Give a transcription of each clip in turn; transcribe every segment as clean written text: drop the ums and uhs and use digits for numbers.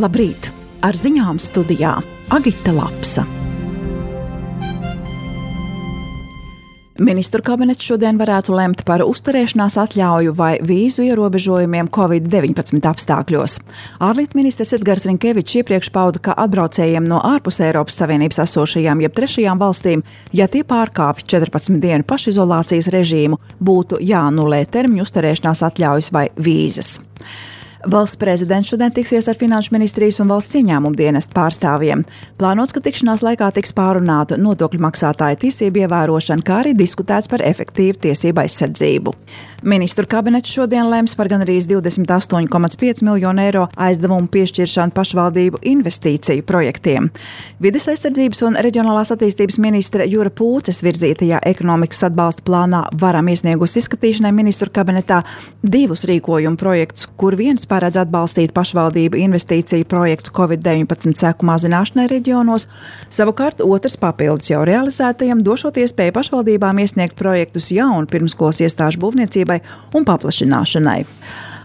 Labrīt! Ar ziņām studijā Agita Lapsa. Ministru kabinets šodien varētu lemt par uzturēšanās atļauju vai vīzu ierobežojumiem Covid-19 apstākļos. Ārlietu ministrs Edgars Rinkevičs iepriekš pauda, ka atbraucējiem no ārpus Eiropas Savienības esošajām jeb trešajām valstīm, ja tie pārkāpj 14 dienu pašizolācijas režīmu, būtu jāanulē termiņu uzturēšanās atļaujas vai vīzas. Valsts prezidents šodien tiksies ar Finanšu ministrijas un valsts ieņēmumu dienestu pārstāvjiem. Plānots, ka tikšanās laikā tiks pārunāta nodokļu maksātāju tiesību ievērošana, kā arī diskutēts par efektīvu tiesību aizsardzību. Ministru kabinets šodien lems par gandrīz 28,5 miljonu eiro aizdevumu piešķiršanu pašvaldību investīciju projektiem. Vides aizsardzības un reģionālās attīstības ministre Jura Pūces virzītajā ekonomikas atbalsta plānā Varam iesniegus izskatīšanai ministru kabinetā 2 rīkojumu projektus, kur viens paredz atbalstīt pašvaldību investīciju projekts Covid-19 seku mazināšanai reģionos, savukārt otrs papildus jau realizētajam došot iespēju pašvaldībām iesniegt projektus jaunu pirmskolas iestāžu būvniecībai un paplašināšanai.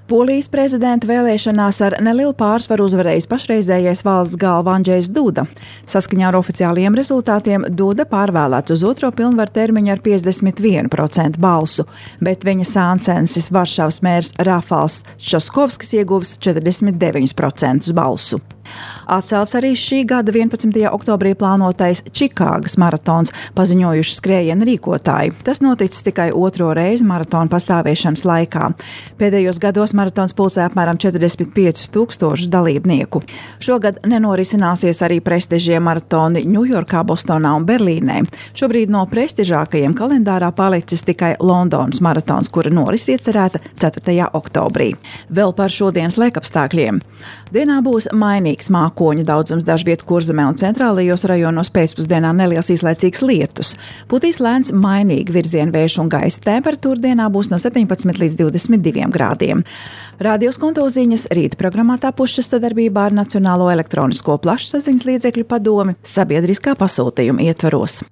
Polijas prezidenta vēlēšanās ar nelielu pārsvaru uzvarējis pašreizējais valsts galva Andžejs Duda. Saskaņā ar oficiālajiem rezultātiem Duda pārvēlēts uz otro pilnvaru termiņu ar 51% balsu, bet viņa sāncensis Varšavas mērs Rafals Časkovskis ieguvis 49% balsu. Atcelts arī šī gada 11. oktobrī plānotais Čikāgas maratons, paziņojuši skrējienu rīkotāji. Tas noticis tikai otro reizi maratona pastāvēšanas laikā. Pēdējos gados maratons pulcē apmēram 45,000 dalībnieku. Šogad nenorisināsies arī prestižie maratoni Ņujorkā, Bostonā un Berlīnē. Šobrīd no prestižākajiem kalendārā palicis tikai Londonas maratons, kura noris iecerēta 4. oktobrī. Vēl par šodienas laikapstākļiem. Dienā būs mainīgs mākoņu daudzums, dažviet Kurzemē un centrālajos rajonos pēcpusdienā neliels īslaicīgs lietus. Putīs lēns mainīgi virzienu vējš un gaisa temperatūra dienā būs no 17 līdz 22 grādiem. Radio Skonto ziņas rīta programmā tapušas sadarbībā ar Nacionālo elektronisko plašsaziņas līdzekļu padomi sabiedriskā pasūtījuma ietvaros.